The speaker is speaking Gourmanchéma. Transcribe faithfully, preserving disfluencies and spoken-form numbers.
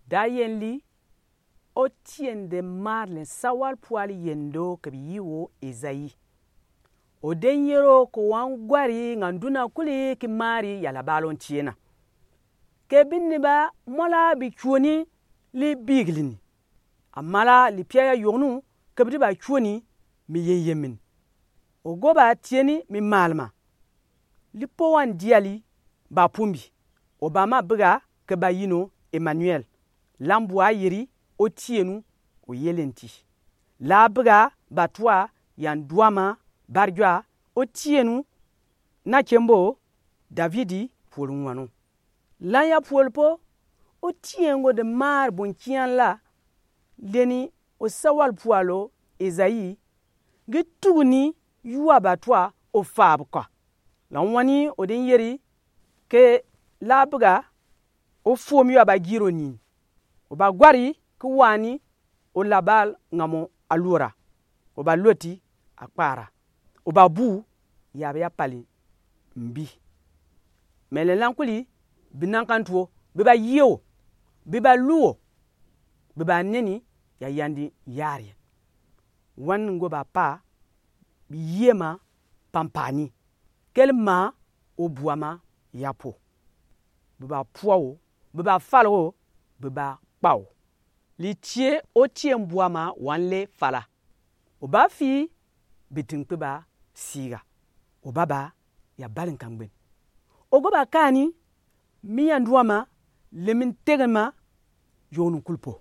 Dayenli, otien de maarlen sawal pual yendo ke biyii wo Esaïe. Oden yero ke wan gwari nga nduna kuli ki maari ya labaal ontiena. Ke binni ba mɔla bi cuoni li bigilini. Amala lipia ya yɔgnu ke bidi ba cuoni mi yeyemini. Ogo ba tieni mi maalima. Lipo wa ndiali ba pumbi. Obama biga ke ba yino Emmanuel. Lambu ayeri otienu oyelenti. La biga batua ya nduama barjua otienu na kembo Davidi puol nwano. Lan ya puol po otien go de maari bo nkian la leni osawal pual o Esaïe gi tuguni yua batua ofab kɔ. Lan wani oden yeri ke la biga ofuom yua bagiro ni. Oba gwari ki wani olabaal nga mo alura. Oba loti akpara. Oba bu ya bia pali mbi. Mele lan kuli bi nankan tuo, bi ba yie o, bi ba lu o, bi ba neni ya yandi yari. Wan ngo ba pa bi yie ma pampani. Keli ma o bua ma ya po. Bi ba pua o, bi ba fal o, bi ba kpa o. Li tie otien bua ma wan le fala. Oba fii bi tinkpe ba siga. Oba ba ya bali nka ngben. Ogo ba kani mi ya ndua ma le mi ntege ma yɔgnu kuli po.